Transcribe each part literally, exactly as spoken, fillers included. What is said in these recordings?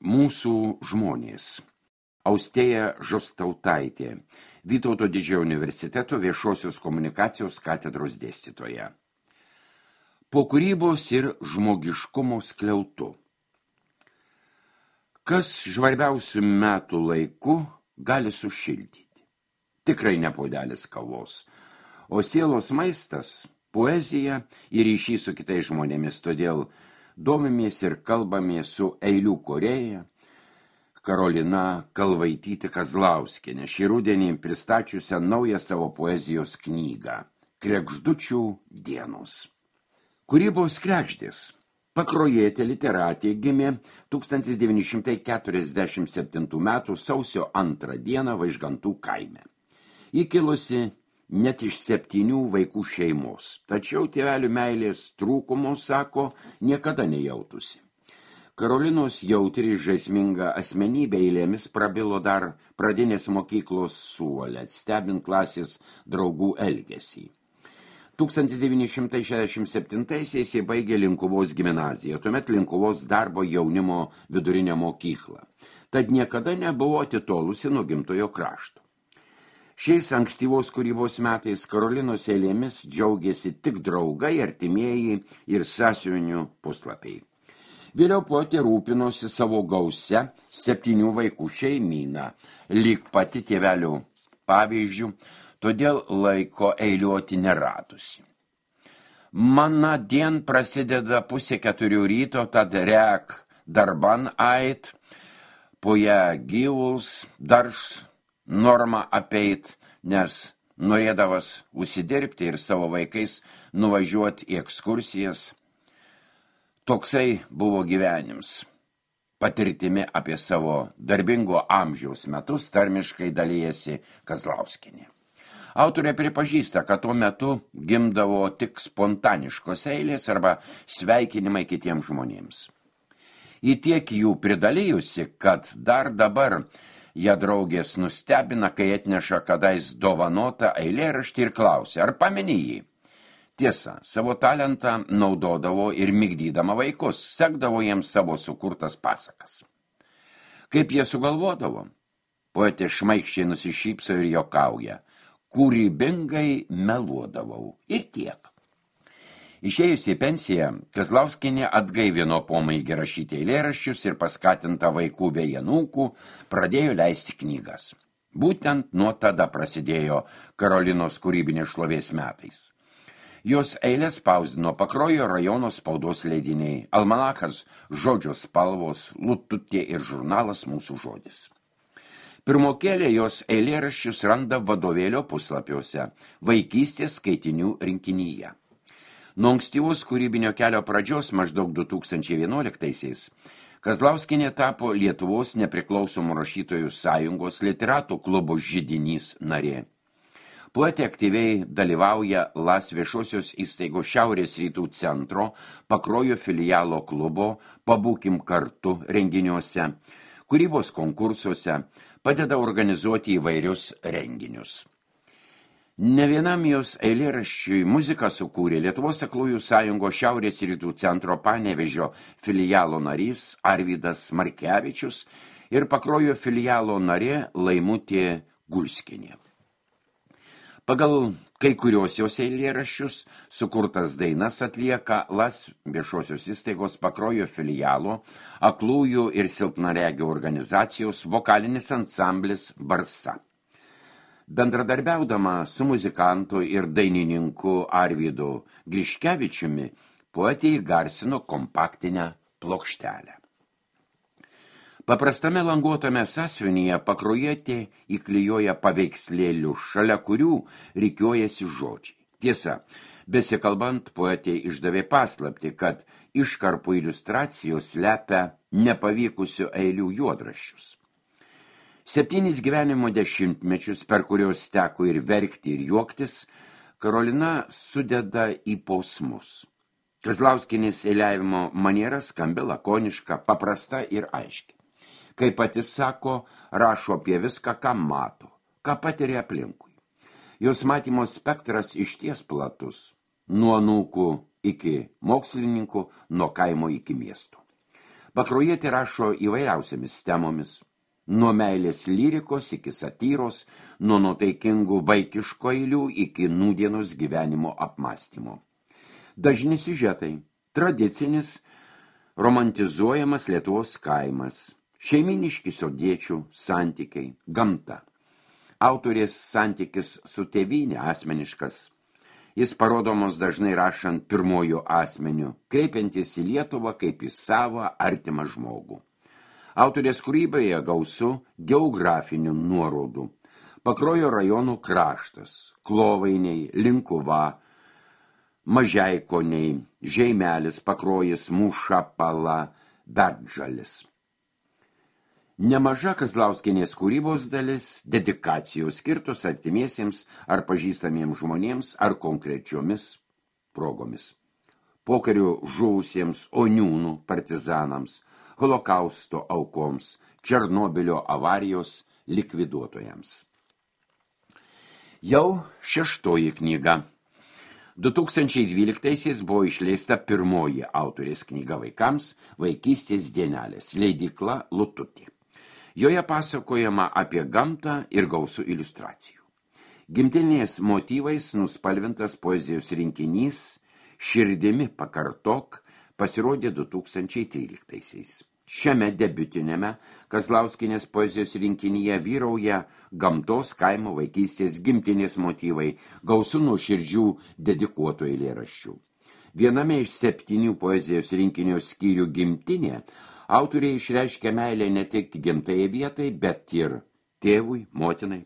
Mūsų žmonės. Austėja Žostautaitė, Vytauto Didžiojo universiteto viešosios komunikacijos katedros dėstytoja. Po kūrybos ir žmogiškumo skliautu. Kas žvarbiausių metų laiku gali sušildyti? Tikrai ne puodelis kavos, o sielos maistas, poezija ir ryšys su kitais žmonėmis, todėl domimės ir kalbamės su eilių kūrėja Karolina Kalvaitytė Kazlauskienė, šį rudenį pristačiusią naują savo poezijos knygą Kregždučių dienos. Kūrybos kregždės. Pakruojietė literatė gimė tūkstantis devyni šimtai keturiasdešimt septintų metų sausio antrą dieną Vaižgantų kaime. Ji kilusi net iš septynių vaikų šeimos, tačiau tėvelių meilės trūkumo, sako, niekada nejautusi. Karolinos jautri žaisminga asmenybė eilėmis prabilo dar pradinės mokyklos suole, stebint klasės draugų elgesį. tūkstantis devyni šimtai šešiasdešimt septintaisiais jie baigė Linkuvos gimnaziją, tuomet Linkuvos darbo jaunimo vidurinę mokyklą. Tad niekada nebuvo atitolusi nuo gimtojo krašto. Šiais ankstyvos kūrybos metais Karolinos eilėmis džiaugėsi tik draugai, artimieji ir sąsiuvinių puslapiai. Vėliau poetė rūpinosi savo gausia septynių vaikų šeimyną, lyg pati tėvelių pavyzdžių, todėl laiko eiliuoti neradusi. Mana dien prasideda pusė keturių ryto, tad rek darban ait, po ją gyvuls, darš normą apeit, nes norėdavas užsidirbti ir savo vaikais nuvažiuoti į ekskursijas. Toksai buvo gyvenims. Patirtimi apie savo darbingo amžiaus metus tarmiškai dalijasi Kazlauskienė. Autorė pripažįsta, kad tuo metu gimdavo tik spontaniškos eilės arba sveikinimai kitiems žmonėms. Į tiek jų pridalijusi, kad dar dabar ją draugės nustebina, kai atneša kadais dovanotą eilėraštį ir klausia, ar pameni jį? Tiesa, savo talentą naudodavo ir migdydama vaikus, sekdavo jiems savo sukurtas pasakas. Kaip jie sugalvodavo? Poetė šmaikščiai nusišypso ir jokauja. Kūrybingai meluodavau. Ir tiek. Išėjusi į pensiją, Kazlauskienė atgaivino pomėgį rašyti eilėraščius ir paskatinta vaikų bei anūkų pradėjo leisti knygas. Būtent nuo tada prasidėjo Karolinos kūrybinės šlovės metais. Jos eilės spausdino Pakruojo rajono spaudos leidiniai, almanachas Žodžio spalvos, Lututė ir žurnalas Mūsų žodis. Pirmokėlė jos eilėraščius randa vadovėlio puslapiuose, vaikystės skaitinių rinkinyje. Nuo ankstyvos kūrybinio kelio pradžios maždaug du tūkstančiai vienuoliktaisiais Kazlauskienė tapo Lietuvos nepriklausomų rašytojų sąjungos literatų klubo židinys narė. Poetė aktyviai dalyvauja Las viešosios įstaigos Šiaurės rytų centro, Pakruojo filialo klubo, Pabūkim kartu renginiuose, kūrybos konkursuose, padeda organizuoti įvairius renginius. Ne vienam jos eilėraščiui muziką sukūrė Lietuvos aklųjų sąjungos Šiaurės rytų centro Panevėžio filialo narys Arvydas Markevičius ir Pakruojo filialo narė Laimutė Gulskienė. Pagal kai kurios jos eilėraščius sukurtas dainas atlieka Las viešosios įstaigos Pakruojo filialo aklųjų ir silpnaregių organizacijos vokalinis ansamblis Barsa. Bendradarbiaudama su muzikantu ir dainininku Arvydu Griškevičiumi, poetė įgarsino kompaktinę plokštelę. Paprastame languotame sąsiuvinyje Pakruojietė įklijuoja paveikslėlių, šalia kurių rikiuojasi žodžiai. Tiesa, besikalbant, poetė išdavė paslaptį, kad iškarpų iliustracijos slepia nepavykusių eilių juodraščius. Septynis gyvenimo dešimtmečius, per kurios teko ir verkti, ir juoktis, Karolina sudeda į posmus. Kazlauskienės eiliavimo maniera skambi lakoniška, paprasta ir aiški. Kaip pati sako, rašo apie viską, ką mato, ką patiria aplinkui. Jos matymo spektras išties platus, nuo anūkų iki mokslininkų, nuo kaimo iki miestų. Pakruojietė rašo įvairiausiamis temomis, nuo meilės lyrikos iki satyros, nuo nuotaikingų vaikiško eilių iki nūdienos gyvenimo apmąstymo. Dažni siužetai, tradicinis, romantizuojamas Lietuvos kaimas, šeiminiški sodiečių santykiai, gamta. Autorės santykis su tėvynė asmeniškas. Jis parodomos dažnai rašant pirmojų asmenių, kreipiantis į Lietuvą kaip į savą artimą žmogų. Autorės kūryboje gausu geografinių nuorodų. Pakruojo rajonų kraštas, Klovainiai, Linkuva, Mažeikoniai, Žeimelis, Pakrojis, Mūša, Pala, Betžalis. Nemaža Kazlauskienės kūrybos dalis dedikacijos skirtos artimiesiems ar pažįstamiems žmonėms ar konkrečiomis progomis. Pokariu žuvusiems oniūnų partizanams, holokausto aukoms, Černobylio avarijos likviduotojams. Jau šeštoji knyga. du tūkstančiai dvyliktaisiais buvo išleista pirmoji autorės knyga vaikams Vaikystės dienelės, leidykla Lututė. Joje pasakojama apie gamtą ir gausų iliustracijų. Gimtinės motyvais nuspalvintas poezijos rinkinys Širdimi pakartok pasirodė du tūkstančiai tryliktaisiais. Šiame debiutinėme Kazlauskienės poezijos rinkinyje vyrauja gamtos, kaimo, vaikystės, gimtinės motyvai, gausų nuoširdžių dedikuotų eilėraščių. Viename iš septynių poezijos rinkinio skyrių Gimtinė autoriai išreiškia meilę ne tik gimtajai vietai, bet ir tėvui, motinai.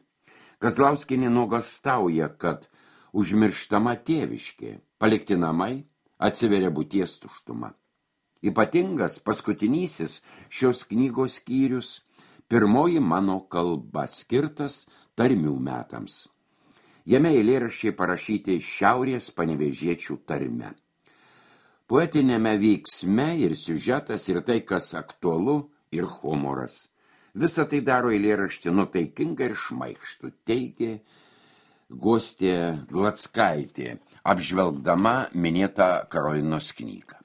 Kazlauskienė nuogąstauja, kad užmirštama tėviškė, palikti namai, atsiveria būties tuštuma. Ypatingas paskutinysis šios knygos skyrius pirmoji mano kalba skirtas tarmių metams. Jame eilėraščiai parašyti šiaurės panevėžiečių tarme. Poetinėme veiksme ir siužetas ir tai, kas aktualu, ir humoras. Visą tai daro eilėraštį nuotaikinga ir šmaikštų, teigė Gostė Glackaitė, apžvelgdama minėtą Karolinos knygą.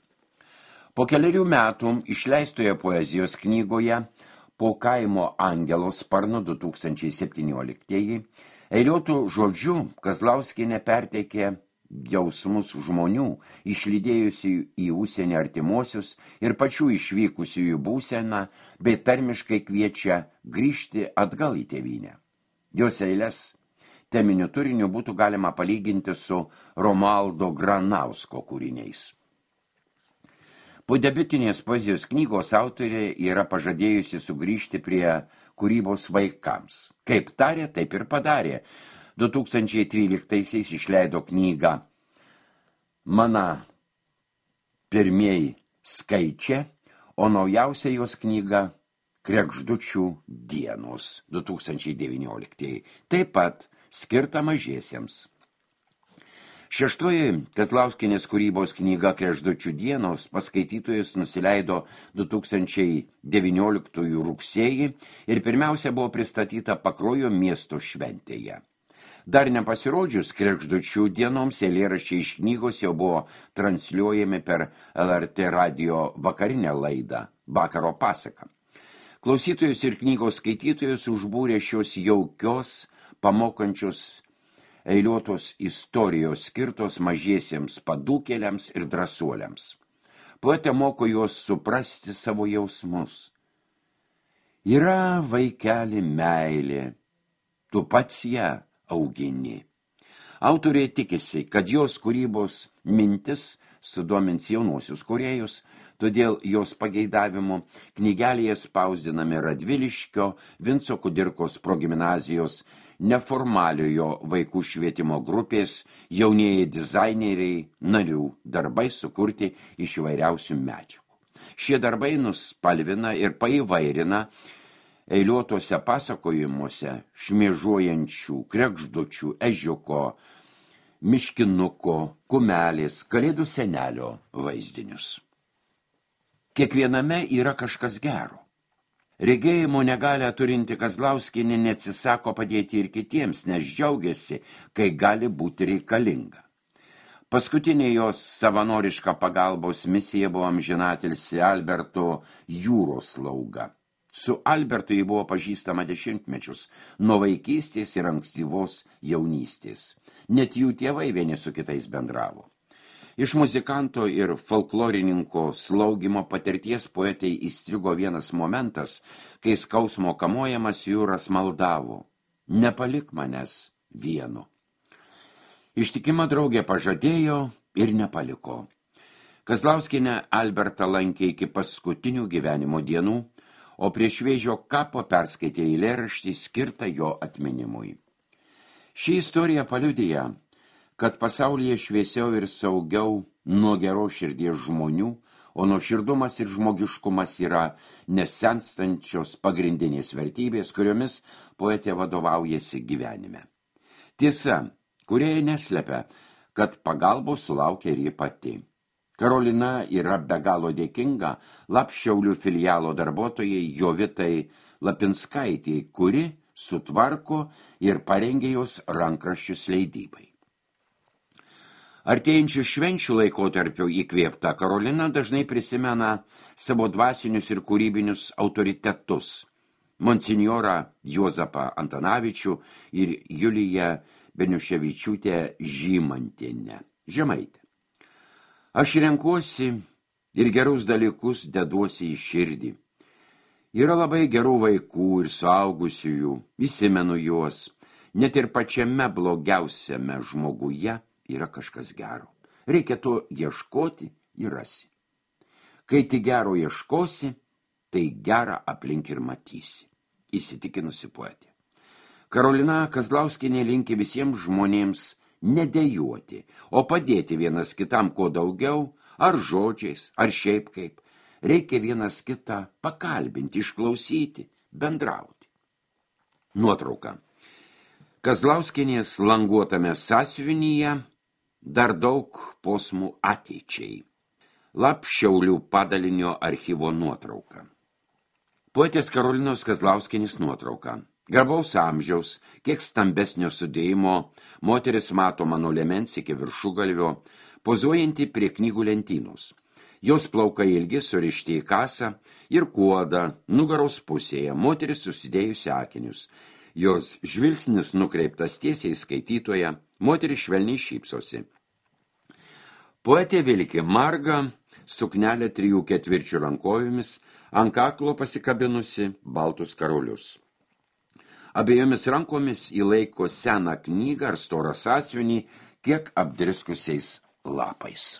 Po keliarių metų išleistoje poezijos knygoje Po kaimo angelo sparno du tūkstančiai septynioliktieji eiliuotų žodžių Kazlauskienė perteikė jausmus žmonių, išlydėjusių į užsienį artimuosius ir pačių išvykusiųjų būseną, bei tarmiškai kviečia grįžti atgal į tėvynę. Jos eiles teminiu turiniu būtų galima palyginti su Romualdo Granausko kūriniais. Po debiutinės poezijos knygos autorė yra pažadėjusi sugrįžti prie kūrybos vaikams. Kaip tarė, taip ir padarė. du tūkstančiai tryliktaisiais išleido knygą Mana pirmieji skaičiai, o naujausia jos knyga Kregždučių dienos du tūkstančiai devynioliktieji, taip pat skirta mažiesiems. Šeštoji Kazlauskienės kūrybos knyga Kregždučių dienos paskaitytojus nusileido du tūkstančiai devynioliktųjų rugsėjį ir pirmiausia buvo pristatyta Pakruojo miesto šventėje. Dar nepasirodžius Kregždučių dienoms eilėraščiai iš knygos jau buvo transliuojami per L R T radijo vakarinę laidą Vakaro pasaka. Klausytojus ir knygos skaitytojus užbūrė šios jaukios, pamokančios eiliuotos istorijos skirtos mažiesiems padūkėliams ir drąsuoliams. Poetė moko juos suprasti savo jausmus. Yra vaikeli meilė, tu pats ją augini. Autorė tikisi, kad jos kūrybos mintis sudomins jaunosius kūrėjus, todėl jos pageidavimu knygelėje spausdinami Radviliškio Vinco Kudirkos progimnazijos neformaliojo vaikų švietimo grupės jaunieji dizaineriai narių darbai sukurti iš įvairiausių medžiagų. Šie darbai nuspalvina ir paįvairina eiliuotose pasakojimuose šmėžuojančių kregždučių, ežiuko, miškinuko, kumelės, kalėdų senelio vaizdinius. Kiekviename yra kažkas gero. Regėjimo negalią turinti Kazlauskienė neatsisako padėti ir kitiems, nes džiaugiasi, kai gali būti reikalinga. Paskutinė jos savanoriška pagalbos misija buvo amžinatilsį Alberto jūros slauga. Su Albertu jį buvo pažįstama dešimtmečius, nuo vaikystės ir ankstyvos jaunystės. Net jų tėvai vieni su kitais bendravo. Iš muzikanto ir folklorininko slaugimo patirties poetai įstrigo vienas momentas, kai skausmo kamuojamas jūras maldavo: nepalik manęs vieno. Ištikima draugė pažadėjo ir nepaliko. Kazlauskienė Albertą lankė iki paskutinių gyvenimo dienų, o prie šviežio kapo perskaitė eilėraštį skirtą jo atminimui. Ši istorija paliudija, kad pasaulyje šviesiau ir saugiau nuo geros širdies žmonių, o nuoširdumas ir žmogiškumas yra nesenstančios pagrindinės vertybės, kuriomis poetė vadovaujasi gyvenime. Tiesa, kurie neslepia, kad pagalbos sulaukia ir ji pati. Karolina yra be galo dėkinga Lapšiaulių filialo darbuotojai Jovitai Lapinskaitei, kuri sutvarko ir parengė jos rankraščius leidybai. Artėjančių švenčių laikotarpio įkvėpta Karolina dažnai prisimena savo dvasinius ir kūrybinius autoritetus – monsinjorą Juozapą Antanavičių ir Juliją Beniuševičiūtę Žymantienę, Žemaitę. Aš renkuosi ir gerus dalykus deduosi į širdį. Yra labai gerų vaikų ir suaugusiųjų, įsimenu juos, net ir pačiame blogiausiame žmoguje yra kažkas gero. Reikia to ieškoti ir rasi. Kai tik gero ieškosi, tai gerą aplink ir matysi, įsitikinusi poetė. Karolina Kazlauskienė linki visiems žmonėms nedejuoti, o padėti vienas kitam kuo daugiau, ar žodžiais, ar šiaip kaip. Reikia vienas kitą pakalbinti, išklausyti, bendrauti. Nuotrauka. Kazlauskienės languotame sąsiuvinyje dar daug posmų ateičiai. Lapšiaulių padalinio archyvo nuotrauka. Poetės Karolinos Kazlauskienės nuotrauka. Garbaus amžiaus, kiek stambesnio sudėjimo, moteris matoma nuo liemens iki viršugalvio, pozuojanti prie knygų lentynos. Jos plaukai ilgi surišti į kasą ir kuodą nugaros pusėje, moteris susidėjusi akinius. Jos žvilgsnis nukreiptas tiesiai skaitytoje, moteris švelniai šypsosi. Poetė vilki margą suknelę trijų ketvirčių rankovėmis, ant kaklo pasikabinusi baltus karolius. Abiejomis rankomis įlaiko seną knygą ar storą sąsiuvinį, kiek apdriskusiais lapais.